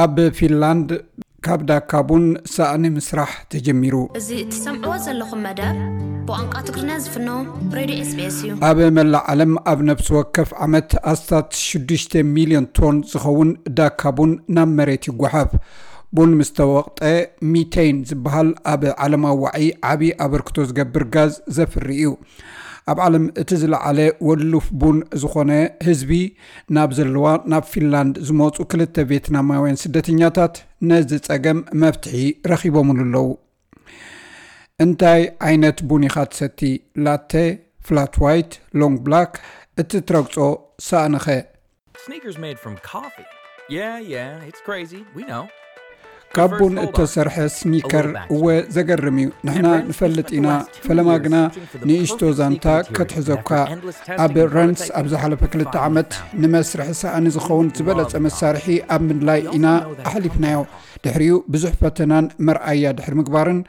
ኣብ ፊንላንድ ካብ ዳካ ቡን ሳእኒ ምስራሕ ተጀሚሩ። እዚ እትሰምዕዎ ዘለኹም መደብ ብቋንቋ ትግርኛ ዝፍኖ ሬድዮ ኤስቢኤስ እዩ። ኣብ መላእ ዓለም ኣብ ነፍሲ ወከፍ ዓመት ኣስታት ሽዱሽተ ሚልዮን ቶን ዝኸውን ዳካ ቡን ናብ መሬት ይጓሓፍ። ቡን ምስ ተወቕጠ፣ ሚቴን ዝበሃል ኣብ ዓለማዊ ዋዒ ዓቢ ኣበርክቶ ዝገብር ጋዝ ዘፍሪ እዩ። ኣብ ዓለም እቲ ዝለዓለ ወሉፍ ቡን ዝኾነ ህዝቢ ናብ ዘለዋ ናብ ፊንላንድ ዝመፁ ክልተ ቬትናማውያን ስደተኛታት ነዚ ጸገም መፍትሒ ረኺቦምሉ ኣለዉ። እንታይ ዓይነት ቡን ኢኻ ትሰቲ? ላተ፣ ፍላት ዋይት፣ ሎንግ ብላክ? እቲ ትረግጾ ሳእንኸ? Sneakers made from coffee. Yeah, yeah, it's crazy. We know. ካብ ቡን እተሰርሐ ስኒከር እወ ዘገርም እዩ። ንሕና ንፈልጥ ኢና። ፈለማ ግና ንእሽቶ ዛንታ ከትሕዘኳ። ኣብ ረንስ ኣብ ዝሓለፈ ክልተ ዓመት ንመስርሒ ሳእኒ ዝኸውን ዝበለጸ መሳርሒ ኣብ ምድላይ ኢና ኣሕሊፍናዮ። ድሕሪኡ ብዙሕ ፈተናን መርኣያ ድሕሪ ምግባርን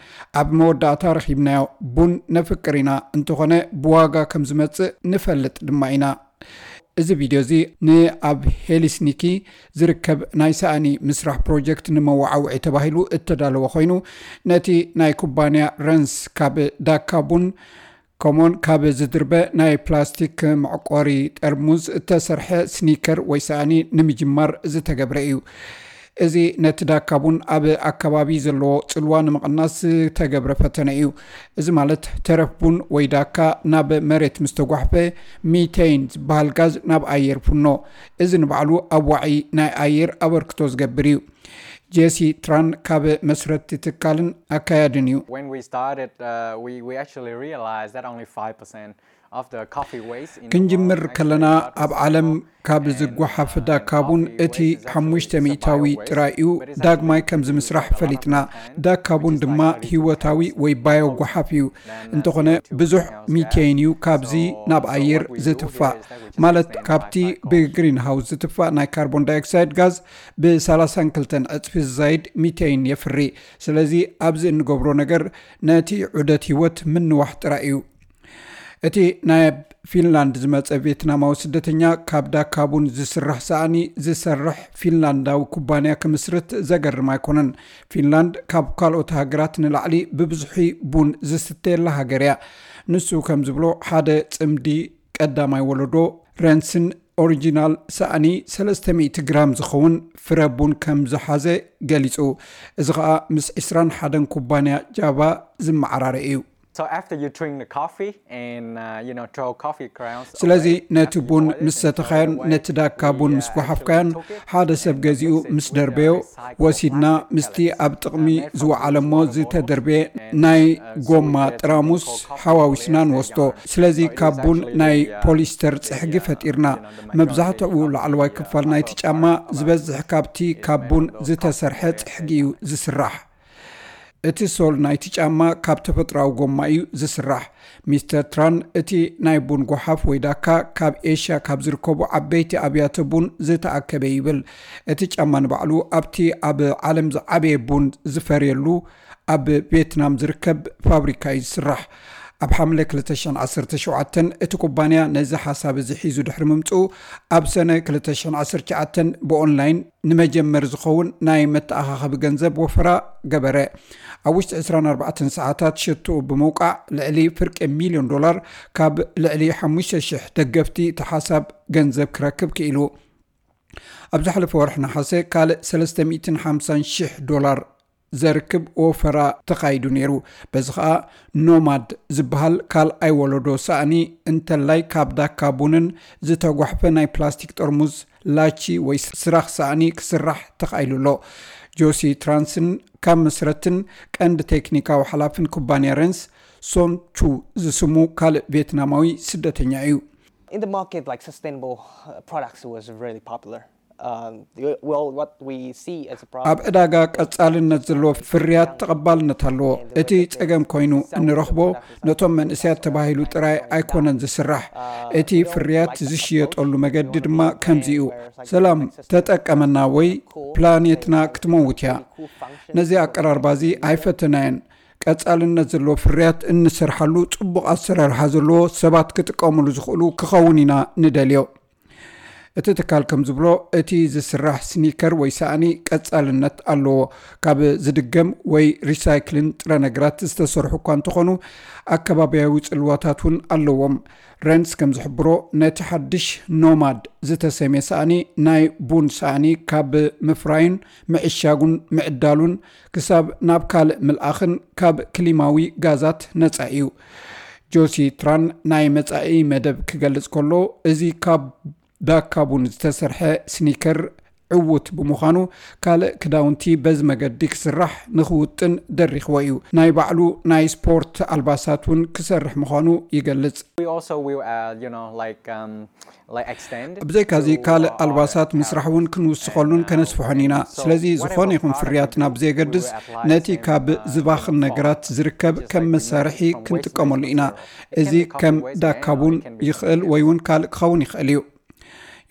ኣብ መወዳእታ ረኺብናዮ። ቡን ነፍቅር ኢና፣ እንተኾነ ብዋጋ ከም ዝመጽእ ንፈልጥ ድማ ኢና። እዚ ቪድዮ እዚ ንኣብ ሄልሲንኪ ዝርከብ ናይ ሳእኒ ምስራሕ ፕሮጀክት ንመወዓውዒ ተባሂሉ እተዳለወ ኮይኑ፣ ነቲ ናይ ኩባንያ ረንስ ካብ ዳካ ቡን ከምኡውን ካብ ዝድርበ ናይ ፕላስቲክ መዕቆሪ ጠርሙዝ እተሰርሐ ስኒከር ወይ ሳእኒ ንምጅማር ዝተገብረ እዩ። እዚ ነቲ ዳካ ቡን ኣብ ኣከባቢ ዘለዎ ጽልዋ ንምቕናስ ዝተገብረ ፈተነ እዩ። እዚ ማለት ተረፍ ቡን ወይ ዳካ ናብ መሬት ምስ ተጓሕፈ ሚቴን ዝበሃል ጋዝ ናብ ኣየር ይፍኖ። እዚ ንባዕሉ ኣብ ዋዒ ናይ ኣየር ኣበርክቶ ዝገብር እዩ። ጄሲ ትራን ካብ መስረትቲ ትካልን ኣካያድን እዩ። When we started, uh, we, we actually realized that only five percent of the coffee waste in the ክንጅምር world ከለና actually got ኣብ ዓለም recycled. ካብ ዝጓሓፍ ዳካ ቡን እቲ ሓሙሽተ ሚእታዊ ጥራይ እዩ። ዳግማይ ከም ዝምስራሕ ፈሊጥና። ዳካ ቡን ድማ ህይወታዊ ወይ ባዮ ጓሓፍ እዩ። እንተኾነ ብዙሕ ሚቴን እዩ ካብዚ ናብ ኣየር ዝትፋእ፣ ማለት ካብቲ ብግሪን ሃውስ ዝትፋእ ናይ ካርቦን ዳይኦክሳይድ ጋዝ ብ ሰላሳን ክልተን ዕጽፊ ዝዛይድ ሚቴን የፍሪ። ስለዚ ኣብዚ እንገብሮ ነገር ነቲ ዑደት ህይወት ምንዋሕ ጥራይ እዩ። እቲ ናይ ፊንላንድ ዝመጸ ቬትናማዊ ስደተኛ ካብ ዳካ ቡን ዝስራሕ ሳእኒ ዝሰርሕ ፊንላንዳዊ ኩባንያ ክምስርት ዘገርም ኣይኮነን። ፊንላንድ ካብ ካልኦት ሃገራት ንላዕሊ ብብዝሒ ቡን ዝስተየላ ሃገር እያ። ንሱ ከም ዝብሎ ሓደ ጽምዲ ቀዳማይ ወለዶ ረንስን ኦሪጂናል ሳእኒ ሰለስተ ሚእቲ ግራም ዝኸውን ፍረ ቡን ከም ዝሓዘ ገሊጹ። እዚ ኸኣ ምስ ዕስራን ሓደን ኩባንያ ጃቫ ዝመዓራረ እዩ። So after you drink the coffee and uh, you know throw coffee grounds ስለዚ away, ነቲ after you ቡን boil it ምስ and throw it ሰተኻዮን away, ነቲ ዳካ we, ቡን uh, ምስ actually ጓሓፍካዮን took it ሓደ ሰብ and ገዚኡ mix it ምስ with the ደርበዮ recycled ወሲድና plastic ምስቲ pellets, ኣብ ጥቕሚ uh, made from ዝወዓለሞ disposable ዝተደርበየ and, ናይ uh, so ጎማ we get something ጥራሙስ called coffee ሓዋዊስና polyester ንወስዶ። yarn. ስለዚ So it ካብ is ቡን actually ናይ the, uh, ፖሊስተር the, ጽሕጊ uh, ፈጢርና። you know, the majority መብዛሕትኡ of ላዕለዋይ the, uh, ክፋል ናይቲ upper ጫማ part of the, ዝበዝሕ uh, ካብቲ is ካብ made ቡን from those ዝተሰርሐ coffee polyester ጽሕጊ እዩ yarn. ዝስራሕ። እቲ ሶል ናይቲ ጫማ ካብ ተፈጥሮኣዊ ጎማ እዩ ዝስራሕ። ሚስተር ትራን እቲ ናይ ቡን ጓሓፍ ወይ ዳካ ካብ ኤሽያ ካብ ዝርከቡ ዓበይቲ ኣብያተ ቡን ዝተኣከበ ይብል። እቲ ጫማ ንባዕሉ ኣብቲ ኣብ ዓለም ዝዓበየ ቡን ዝፈርየሉ ኣብ ቬትናም ዝርከብ ፋብሪካ እዩ ዝስራሕ። ኣብ ሓምለ ክልተ ሽሕን ዓሰርተ ሸውዓተን እቲ ኩባንያ ነዚ ሓሳብ እዚ ሒዙ ድሕሪ ምምጽኡ፣ ኣብ ሰነ ክልተ ሽሕን ዓሰርተ ትሽዓተን ብኦንላይን ንመጀመሪ ዝኸውን ናይ መተኣኻኸቢ ገንዘብ ወፈራ ገበረ። ኣብ ውሽጢ ዕስራን ኣርባዕተን ሰዓታት ሸትኡ ብምውቃዕ ልዕሊ ፍርቂ ሚልዮን ዶላር ካብ ልዕሊ ሓሙሽተ ሽሕ ደገፍቲ እቲ ሓሳብ ገንዘብ ክረክብ ክኢሉ። ኣብ ዝሓለፈ ወርሒ ነሓሰ ካልእ ሰለስተ ሚእትን ሓምሳን ሽሕ ዶላር ዘርክብ ወፈራ ተኻይዱ ነይሩ። በዚ ኸኣ ኖማድ ዝበሃል ካልኣይ ወለዶ ሳእኒ እንተላይ ካብ ዳካ ቡንን ዝተጓሕፈ ናይ ፕላስቲክ ጠርሙዝ ላቺ ወይ ስራኽ ሳእኒ ክስራሕ ተኻኢሉ ኣሎ። ጆሲ ትራንስን ካብ መስረትን ቀንዲ ቴክኒካዊ ሓላፍን ኩባንያ ረንስ ሶን ቹ ዝስሙ ካልእ ቬትናማዊ ስደተኛ እዩ። In the market, like sustainable uh, products was really popular. Um, the- well, what we see as a problem. ኣብ ዕዳጋ ቀጻልነት ዘለዎ ፍርያት ተቐባልነት ኣለዎ። እቲ ጸገም ኮይኑ እንረኽቦ ነቶም መንእሰያት ተባሂሉ ጥራይ ኣይኮነን ዝስራሕ። እቲ ፍርያት ዝሽየጠሉ መገዲ ድማ ከምዚ እዩ። ሰላም ተጠቀመና ወይ ፕላኔትና ክትመውት እያ። ነዚ ኣቀራርባ እዚ ኣይፈተናየን። ቀጻልነት ዘለዎ ፍርያት እንሰርሓሉ ጽቡቕ ኣሰራርሓ ዘለዎ ሰባት ክጥቀሙሉ ዝኽእሉ ክኸውን ኢና ንደልዮ። እቲ ትካል ከም ዝብሎ፣ እቲ ዝስራሕ ስኒከር ወይ ሳእኒ ቀጻልነት ኣለዎ። ካብ ዝድገም ወይ ሪሳይክልን ጥረ ነገራት ዝተሰርሑ እኳ እንተኾኑ፣ ኣከባብያዊ ጽልዋታት እውን ኣለዎም። ረንስ ከም ዝሕብሮ፣ ነቲ ሓድሽ ኖማድ ዝተሰምየ ሳእኒ ናይ ቡን ሳእኒ ካብ ምፍራይን ምዕሻጉን ምዕዳሉን ክሳብ ናብ ካልእ ምልኣኽን ካብ ክሊማዊ ጋዛት ነጻ እዩ። ጆሲ ትራን ናይ መጻኢ መደብ ክገልጽ ከሎ፣ እዚ ካብ ዳካ ቡን ዝተሰርሐ ስኒከር ዕዉት ብምዃኑ፣ ካልእ ክዳውንቲ በዚ መገዲ ክስራሕ ንኽውጥን ደሪኽዎ እዩ። ናይ ባዕሉ ናይ ስፖርት ኣልባሳት እውን ክሰርሕ ምዃኑ ይገልጽ። We also will, uh, you know, like um, like extend. ብዘይካዚ ካልእ ኣልባሳት ምስራሕ እውን ክንውስኸሉን ከነስፍሖን ኢና። ስለዚ ዝኾነ ይኹን ፍርያት ናብ ዘየገድስ፣ ነቲ ካብ ዝባኽን ነገራት ዝርከብ ከም መሳርሒ ክንጥቀመሉ ኢና። እዚ ከም ዳካ ቡን ይኽእል ወይ እውን ካልእ ክኸውን ይኽእል እዩ።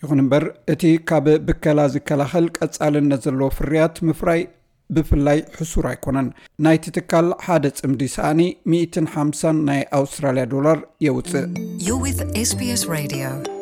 ይኹን እምበር፣ እቲ ካብ ብከላ ዝከላኸል ቀጻልነት ዘለዎ ፍርያት ምፍራይ ብፍላይ ሕሱር ኣይኮነን። ናይቲ ትካል ሓደ ጽምዲ ሳእኒ ሚእትን ሓምሳን ናይ ኣውስትራልያ ዶላር የውጽእ። You're with S B S Radio.